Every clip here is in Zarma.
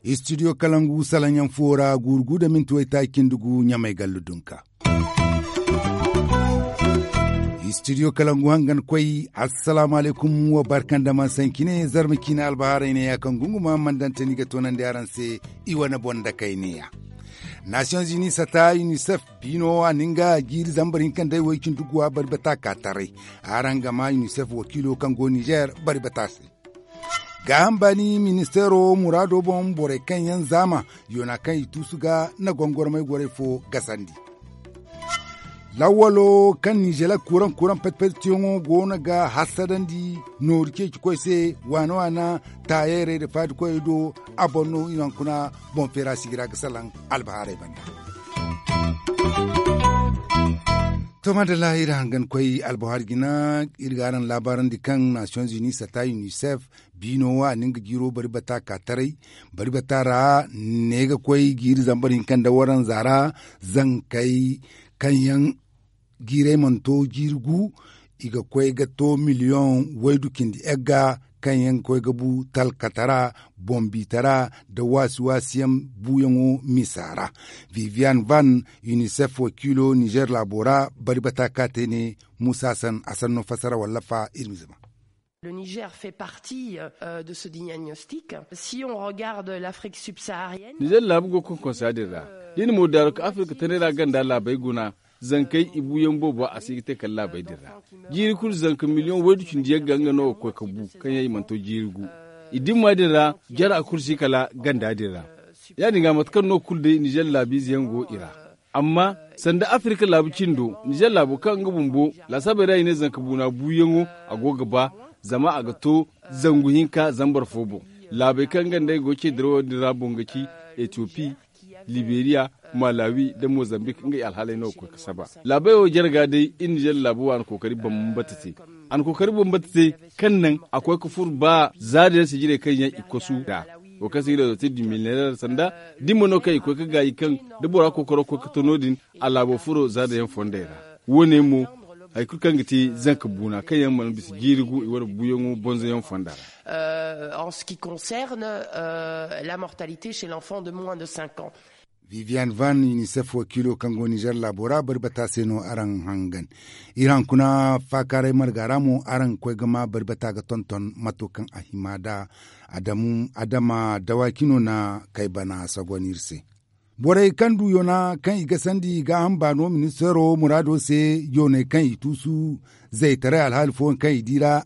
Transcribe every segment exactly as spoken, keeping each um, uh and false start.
Istidiyo kalangu salaŋ yaŋ fo ra guuru gu da minti waytaaci cindi gu ɲamay gallu dunka. Istidiyo kalangu hangan koy. Assalaamu alaykum, wa barka nda man sanci ne zarma ciine albahaarey ne ya kaŋ gunguma man dante ni ga toonandi araŋ se. I wane boŋ da kay ne ya. Nasiyoŋ zini sata unicef biino a na nga jiiri zambar hinka nda ay way cindi guwa bari bata ka taray. Araŋ ga ma unicef wakiilo kaŋ go nizeer bari bata se. Gaaham baani ministeero muraado boŋ borey kaŋ yaŋ zaama yoona kaŋ i tuusu ga na gongormay gorey fo gasandi. Lawwalo kaŋ nizeer kuraŋ kuraŋ petpettiyaŋo go no ga hassadandi nooru ceeci koy se. Waana waana taayeerey nda faadi koyey do. A boŋ no i naŋ kuna boŋ feera sigira ga salaŋ albahaarey banda. To madalla iri hangan koy albuhaari jina. Iri ga araŋ laabaarandi kaŋ nasiyoŋ zuni sata unicef biino wo a na nga jiiro bari bata ka taray. Bari bata ra ne ga koy jiiri zambar hinka nda waranza ra. Zankey kaŋ yaŋ jiirey mana to jiiri gu i ga koy ga to miliyoŋ waydu cindi egga kaŋ yaŋ ga koy ga bu talkatara boŋ biitara nda waasi waasi yaŋ buuyaŋo misa ra. Vivian van unicef wakiilo nizeer laabo ra bari bata ka te ne. Muusa san a sanno fassara wallafa iri ma zama. Le nizeer fait partie de ce diagnostic. Si on regarde l'afrique subsaharienne. Nizeer laabu go konkonsa din ra da i na moodaaro ka afirka tanay ra ganda laabey guna. Zankey i buuyaŋ boobo a si ga te kala laabey din ra. Jiiri kulu zanka miliyoŋ waydu cindi yagga nga no ga koy ga bu kaŋ yaŋ i mana to jiiri gu. I dimma din ra jara kulu si kala ganda din ra. Ya- din ga mate kaŋ no kulu day nizeer laabiize yaŋ go i ra. Amma sanda afirka laabu cindo nizeer laabo kaŋ nga bumbo laasaabey ra i ne zanka buuna buuyaŋo a go ga ba. Zama a ga to zangu hinka zambar fo boŋ. Laabey kaŋ nga nd'ey go ce dirawo din ra boŋ ga ci etiyopi, liberiya, malawi nda mozambik ngey alhaaley no ga koy ga saba. Laabey wo jarga day iri nizeer laabu waani kookari bambata te. A na kookari bambata te kaŋ naŋ a koy ga furo ba za din yaŋ sijirey kaŋ yaŋ i kosu nd'a. Wo kaŋ se i ga ne dotir du mileneer sanda dimma no kaŋ i koy ga gaayi kaŋ da bora kookaro koy ga to no- din a laabo furo za din yaŋ fondey ra. Wo- ne mo hari kulu kaŋ ga te zanka buuna kaŋ yaŋ mana bisa jiiri gu i wane buuyaŋo bonzoyaŋ fonda ra. En ce qui concerne la mortalité chez l'enfant de moins de cinq ans. Vivian van unicef wakiilo kaŋ go nizeer laabo ra bari bata se no araŋ hangan. Iri hankuna faakaaray marga ra mo araŋ ga koy ga ma bari bata ga tonton mato kaŋ a hima nd'a. Adama dawaaki no na kay bana sagon iri se. Borey kaŋ du yoona kaŋ i gasandi gaaham baano ministeero muraado se yooney kaŋ i tuusu zaytaray alhaali fooyaŋ kaŋ i di ra.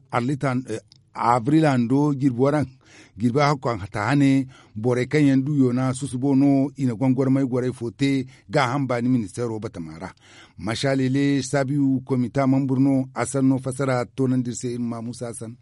Abril hando jirbi waranka jirbi hakko a ta hane. Borey kaŋ yaŋ du yoona susubo no i na gongormay gorey fo te gaaham baani ministeero batama ra. Masalele saabiyu komita mambur no a sanno fassara toonandi iri se iri ma muusa san.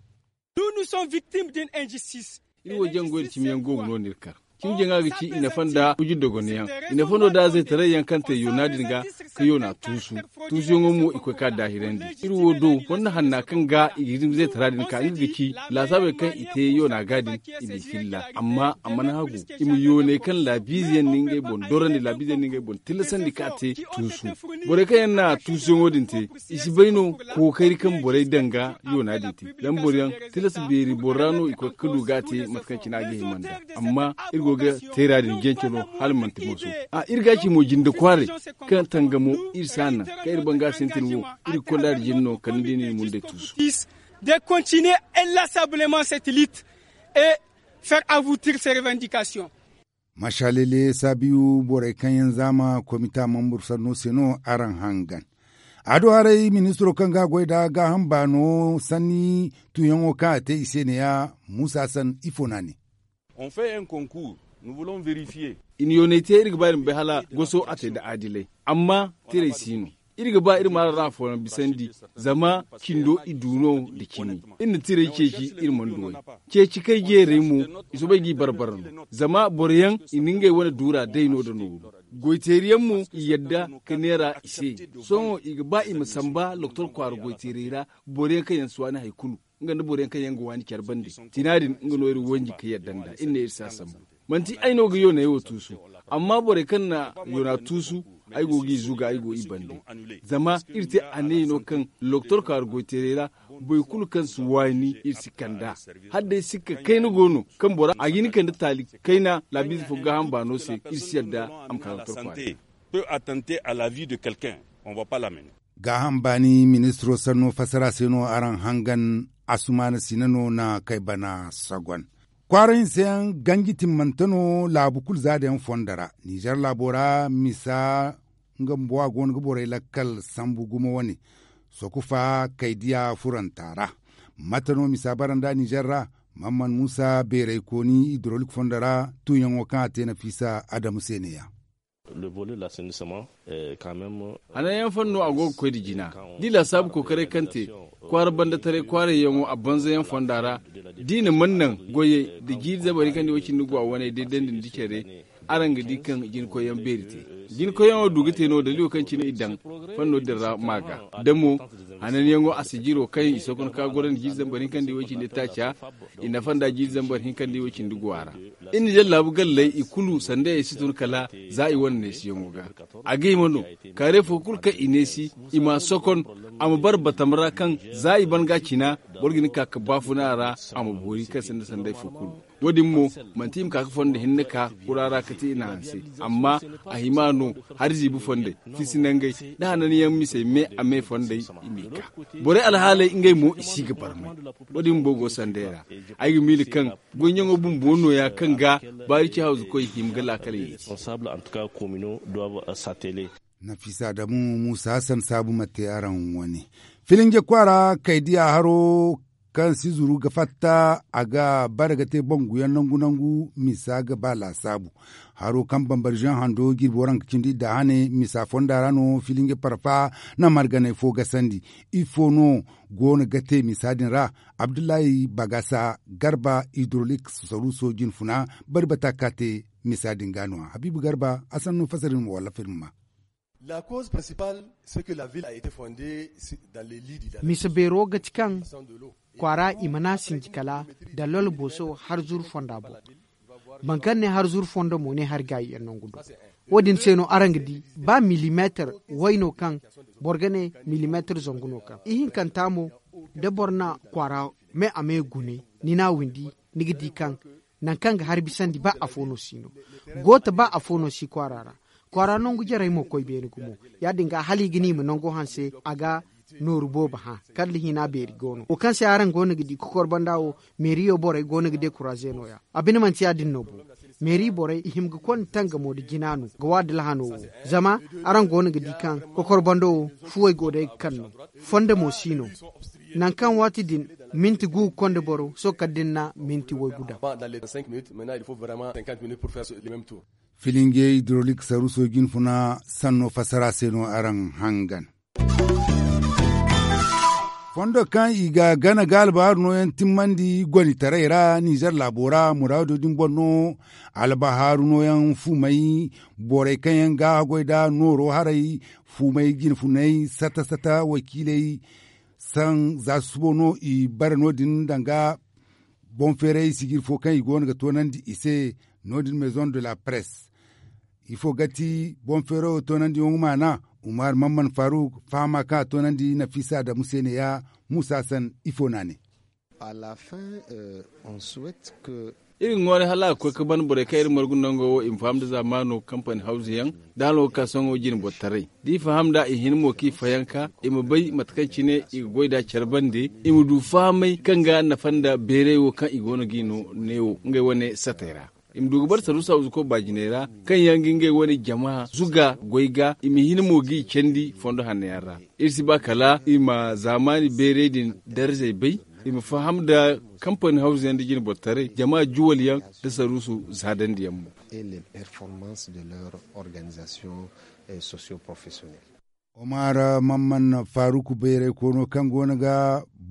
Iri wo jangoy nda cimi yaŋ go ga no no iri kar. Cimi jaŋa ga ci i nafa nda wujir dogono yaŋ. I nafa no da zaytaray yaŋ kaŋ te yoona din ga ka yoona tuusu. Tuusuyaŋo mo i koy ka daahirandi iri wo do fonda hanna kaŋ ga i ga hin zaytara din ka nga ga ci laasaabey kaŋ i te yoona ga din. I m'i filla amma a mana hagu i ma yooney kaŋ laabiize yaŋ na ngey boŋ dorandi laabiize yaŋ na ngey boŋ tillasandi ka te tuusu. Borey kaŋ yaŋ na tuusuyaŋo din te i si bay no kookari kaŋ borey daŋ ga yoona din te. Zama boro yaŋ tilas beeri boro ra no i koy ga du ga a te mate kaŋ cine a ga hima nd'a. Amma iri go ga teera din jance no hala manti mooso. A iri ga ci mo jinde kwaaray kaŋ tangamo iri si a naŋ kaŋ iri banga sintin wo iri ga konda din jine no kala ni di no i mundey tuusu. De continuer inlassablement cette lutte et faire aboutir ces revendications. Masalele saabiyu borey kaŋ yaŋ zaama komita mambur sanno se no araŋ hangan. A do haray ministiro kaŋ ga a goy nd'a gaaham baano sanni tuuyaŋo kaŋ a te i se neeya. Muusa san ifo no a ne. I na yooney te iri ga ba iri ma bay hala goso a te nda adilay. Amma tirey si no. Iri ga ba iri ma araŋ ra afooyaŋ bisandi. Zama cindo i du no nda cimi. Iri na tirey ceeci iri mana du way. Ceeci kay jeerey mo i soobay g'i barbara no. Zama boro yaŋ i na ngey wane duura day no nda nooru. Goyteeri yaŋ mo i yadda ka neera i se. Sohõ i ga ba i ma samba lokotor kwaara goyteerey ra. Boro yaŋ kaŋ yaŋ si waani hari kulu nga nda boro yaŋ kaŋ yaŋ ga waani care bande. Tina din nga no iri wanji ka yadda nd'a iri ne iri si a sambu. Manti ay no ga yooney wo tuusu. Amma borey kaŋ na yoona tuusu. Ay go g'i zuga, ay go i bande. Zama iri te a ne no kaŋ lokotor kaari goyteeray ra, boro kulu kaŋ si waani iri si kand'a. Hala day sikka kayna go no kaŋ bora a ga hin kande taali kayna laabiize fo gaaham baano se, iri si yadda a ma ka lokotor kaari. Peut attenter à la vie de quelqu'un. On va pas l'amener. Gaaham baani ministiro sanno fassara se no araŋ hangan. Asumaana sina no na kay bana sagon. Kwaara hinse yaŋ ganji timmante no laabu kulu zaada yaŋ fondo ra. Nizer laabo ra misa nga bumbo a go no ga borey lakkal sambu gumo wane. Sokufa kay diya furanta ra. Mate no misa bara nda nizer ra? Mamman muusa beeray kooni idorolik fondo ra tuuyaŋo kaŋ a te nafiisa adamu se ne- ya. Hananyaŋ fano a go ga koy nda jina. Da i laasaabu kookaray kaŋ te kwaara banda taray kwaarayyaŋo a banzayaŋ fonda ra, da i na mana naŋ goyey nda jiiri zambar hinka nda i way cindi ga wa waney day dandi nda care. Araŋ ga di kaŋ jinkoyyaŋ beeri te. Jinkoyyaŋo du ga te no daliilo kaŋ cine i daŋ fanno din ra ma ga da mo hananyaŋo a si jiro kaŋ i sookon ka goro nda jiiri zambar hinka nda i way cindi taaca. I nafa nda jiiri zambar hinka nda i way cindi ga wa ra. Iri na jaŋ laabu galley i kulu sandayey si tun kala za i wane neesiyaŋo ga. A ga hima no kaarey fo kulu kaŋ i neesi i m'a sokon a ma bara batam ra kaŋ za i ban ga a cina boro ga hin ka ga baafuna a ra. A ma boori kaŋ sinda sanday fo kulu. Wo- din mo manti i ma ka ga fondo hinne ka kura ra ga te i na hanse. Amma a hima no hari ziibi fondey fisi nangey da hananyaŋ misey me a me fondey i m'i ka. Borey alhaaley ngey mo i si ga barmay. Wo- din bumbo go sanday ra. Ay ga miila kaŋ goyyaŋo bumbo nooya kaŋ ga baari ci hawzukoy hima ga laakaley yeeti. Nafiisa adamu muusa hassan saabu ma te araŋ wane. Filinje kwaara kay diya haro kaŋ si zuru ga fatta a ga bare ga te banguyaŋ nangu nangu misa ga ba laasaabu. Haro kaŋ bambari zaŋ hando jirbi waranka cindi idda hane misa fonda ra no filinje parfa na marganay fo gasandi. Ifo no go no ga te misa din ra? Abdullahi bagasa garba idrolik saruuso jinfuna bari bata ka te misa din ga no- ya habiibu garba a sannu fasarin ma walla firma. Misa beero ga ti kaŋ kwaara i mana sinji kala da lolo booso har zuru fonda boŋ. Boro kaŋ ne har zuru fondo mo ne har gaayi yaŋ nangu do. Wo- din se no araŋ ga di ba milimeetar way no kaŋ boro ga ne milimeetar zangu no kaŋ ihinkanta mo da boro na kwaara me a me gune ni n'a windi ni ga di kaŋ nangu kaŋ ga hari bisandi ba afo no si no. Gooto ba afo no si kwaara ra. Kwaara nangu jarey mo koy beene gumo. Ya- din ga hala i ga ne i ma nango hanse a ga nooru boobo hã kala hina beeri go no wo kaŋ se araŋ go no ga di kokor banda wo. Meeriyo borey go no ga dekuraaze no- ya a bine manti ya- din no bo. Meeri borey i hima ga konda tangamo nda jina no ga waadila hano wo. Zama araŋ go no ga di kaŋ kokor bando wo fuwey go day ga kan no. Fondo mo si no. Nangu kaŋ waati din minti gu ga konda boro sohõ kala da ni na minti waygu daŋ. Filinge hidrolik saruuso jinfuna sanno fassara se no araŋ hangan. Fondo kaŋ i ga gana ga albahaaru nooyaŋ timmandi gonitaray ra nizer laabo ra muraado din boŋ no. Albahaaru nooyaŋ fumay borey kaŋ yaŋ ga haggoy nda nooro haray fumay jinfunay sata sata wakiiley. Saŋ za susubo no i bare no- din danga boŋ feeray sijir fo kaŋ i go no ga toonandi i se. No- din maison de la presse ifo ga ti boŋ feero toonandiyaŋo maana. Umar mamman faruk fahama kaŋ a toonandi nafiisa adamu se ne- ya muusa san ifo no a ne. Iri ga ŋwaaray hala a ga koy ga ban borey kaŋ iri margu nango wo i ma faham nda zaamaano kampani hawzu yaŋ da hala wo ga ka sohõ jine boro taray da i faham nd'a i hin mo kaŋ i fayanka i ma bay mate kaŋ cine i ga goy nd'a care bande. I ma du fahamay kaŋ ga nafa nda beeray wo kaŋ i go no ga i no neewo ngey wane satey ra. I ma du ga bare saruusa wuzuko baajiney ra kaŋ yaŋ ga ngey wane jama zuga goy ga i ma hin mo g'i candi fondo hanno yaŋ ra. Iri si ba kala i ma zaamaani beeray din darzey bay. I ma faham nda kampani hawzu yaŋ nda jine boro taray jama juwal yaŋ nda saruusu zaadandi yaŋ mo. Omar mamman faruku bayray koono kaŋ go no ga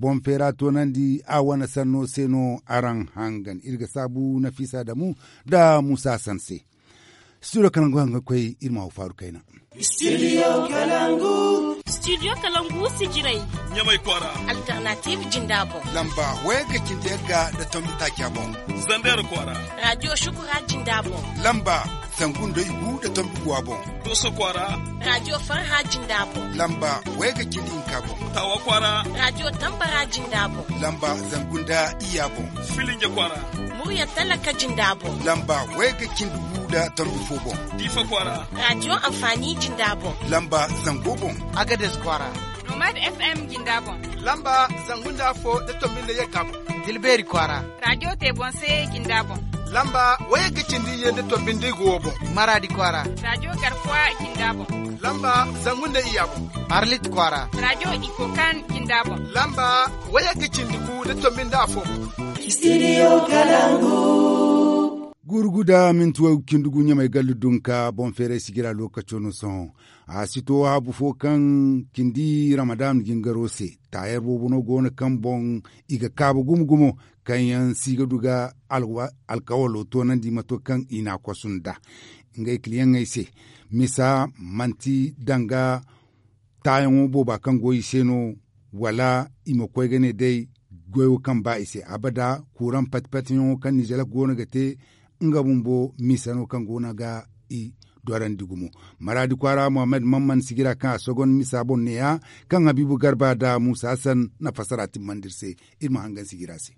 boŋ feera toonandi a wane sanno se no araŋ hangan iri ga saabu nafiisa damu nda muusa san se. Studio kalangu haŋ ga koy iri ma wo faaru kayna. Studio kalangu. Studio kalangu sijirey. Ɲamay kwaara. Alternative jinda boŋ. Lamba wayagga cindi yagga nda tombi taaca boŋ. Zandeera kwaara. Raadiyo shukura jinda boŋ. Lamba zangu nda igu nda tombi guwa boŋ. Dooso kwaara. Raadiyo farha jinda boŋ. Lamba wayagga cindi hinka boŋ. Taawa kwaara. Raadiyo tambara jinda boŋ. Lamba zangu nda iyya boŋ. Filinja kwaara. Murya talaka jinda boŋ. Lamba wayagga cindi gu nda tombi fo boŋ. Diifa kwaara. Raadiyo anfaani jinda boŋ. Lamba zango boŋ. Agades kwaara. Nomad FM jinda boŋ. Lamba zangu nda afo nda tombi nda yagga boŋ. Tilbeeri kwaara. Raadiyo teebonse jinda boŋ. Lamba wayagga cindi iyye nda tombi nda igu wo boŋ. Maraadi kwaara. Raadiyo garkuwa jinda boŋ. Lamba zangu nda iyya boŋ. Arlit kwaara. Raadiyo ikokan jinda boŋ. Lamba wayagga cindi gu nda tombi nda afo boŋ. Studio kalangu. Guuru gu da minti waygu cindi gu ɲamay gallu dunka boŋ feeray sijira lookaco no sohõ. A si to haabu fo kaŋ cindi ramadan jingaro se. Taayar boobo no go no kaŋ boŋ i ga kaabu gumo gumo kaŋ yaŋ si ga du ga alkawalo toonandi mato kaŋ i n'a kosu nda ngey kiliyaŋey se. Misa manti danga taayaŋo booba kaŋ go i se no, wala i ma koy ga ne day goyo kaŋ ba i se abada. Kuuraŋ pati-patiyaŋo kaŋ nizelak go no ga te nga bumbo misa no kaŋ go no ga i dorandi gumo. Maraadi kwaara muhammad mamman sigira kaŋ a sogon misa boŋ neeya kaŋ habiibu garba nda muusa hassan na fassara timmandi iri se. Iri ma hangan sigira se.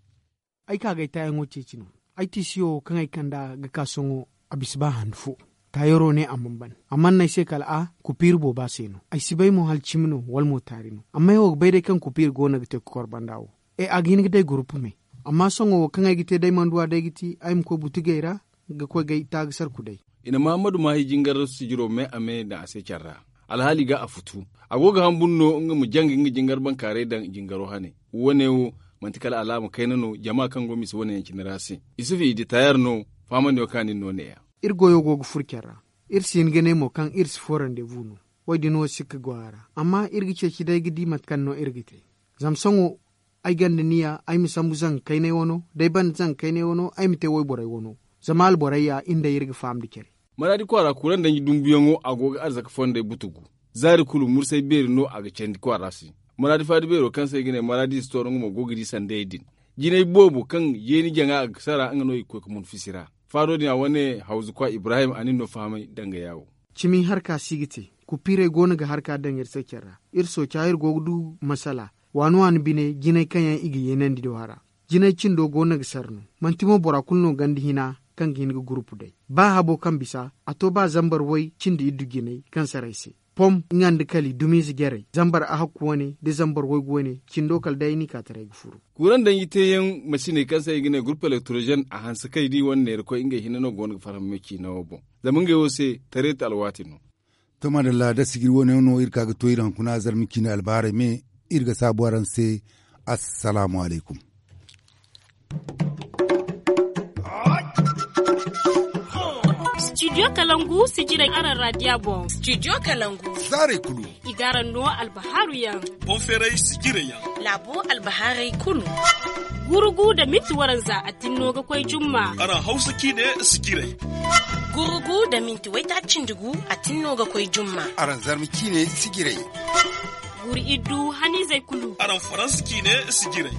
Ay ka ga ay taayaŋo ceeci no. Ay tiisiyo kaŋ ay kand'a ga ka sohõ a bisa ba handu fo. Taayaro ne a mana ban a mana no ay se kala a kupiiri booba se no. Ay si bay mo hala cimi no wala mo taari no. Amma ay wo ga bay day kaŋ kupiiri go no ga te kokor banda wo. E a ga hin ga day gurupu me. Amma sohõ wo kaŋ ay ga te day manduwa day ga ti ay ma koy butugey ra ga koy ga ay taagasarku day. I na mahammadu maahi jingar sijiro me a me daŋ a se care ra. Alhaali ga a futu. A go ga hamburu no nga ma jangi nga jingar bankaaray daŋ jingaro hane. Wo- ne wo manti kala alaama kayna no jama kaŋ go misa wane yaŋ cine ra se. Isufu i di taayar no. Faamandiyo kaŋ a na iri no neeya. Iri goyo go ga furo care ra. Iri si hin ga ne mo kaŋ iri si fo randebu no. Wo- din wo sikka go a ra. Amma iri ga ceeci day ga di mate kaŋ no iri ga te. Zama sohõ ay gonda niya ay ma sambu zanga kaynay wano da ay banda zanga kaynay wano ay ma te wayborey wano. Zama alborey ya iri nda iri ga faham nda care. Maraadi kwaara kuraŋ danji dumbuyaŋo a go ga arzaka fondey butugu. Zaari kulu mursay beeri no a ga candi kwaara se. Maraadi faadi beero kaŋ se i ga ne maraadi sitooro nga mo go ga di sandayey din. Jinay boobo kaŋ yeeni jaŋa a ga sara nga no i ga koy ga mun fisi ra. Faado din a wane hawzu kwa ibrahim a na iri no fahamay danga yaawo. Cimi harka si ga te. Kupiirey go no ga harka daŋ iri se care ra. Iri sooca iri go ga du masala waani waani bine jinay kaŋ yaŋ i ga yeenandi do hara. Jinay cindo go no ga sara no. Manti mo bora kulu no ganda hina kaŋ ga hin ga gurupu day. Ba habo kaŋ bisa a to ba zambar way cindi iddu jinay kaŋ saray se. Pom nga nda kali dumiize jarey zambar ahakku wane nda zambar waygu wane cindo kala day ni ka taray ga furu. Kuuraŋ danji teeyaŋ masiney kaŋ se i ga ne gurupu elektrozen a hanse kay da i wane neerakoy ngey hinne no go no ga farham me ciina wo boŋ. Zama ngey wo se tareeti alwaati no. To madalla da sijiri wo- ne no iri ka ga to iri hankuna zarma ciine albahaarey me. Iri ga saabu araŋ se. Assalaamu alaykum. Studio kalangu sijirey araŋ raadiya boŋ. Studio kalangu zaarey kulu i ga araŋ no albahaaru yaŋ. Boŋ feeray sijirey yaŋ. Laabo albahaaray kulu. Gurugu nda minti waranza a tinno ga koy jumma. Araŋ hawsa ciine sijirey. Gurugu nda minti waytaaci cindi gu a tinno ga koy jumma. Araŋ zarma ciine sijirey. Guuru iddu haniizey kulu. Araŋ faransa ciine sijirey.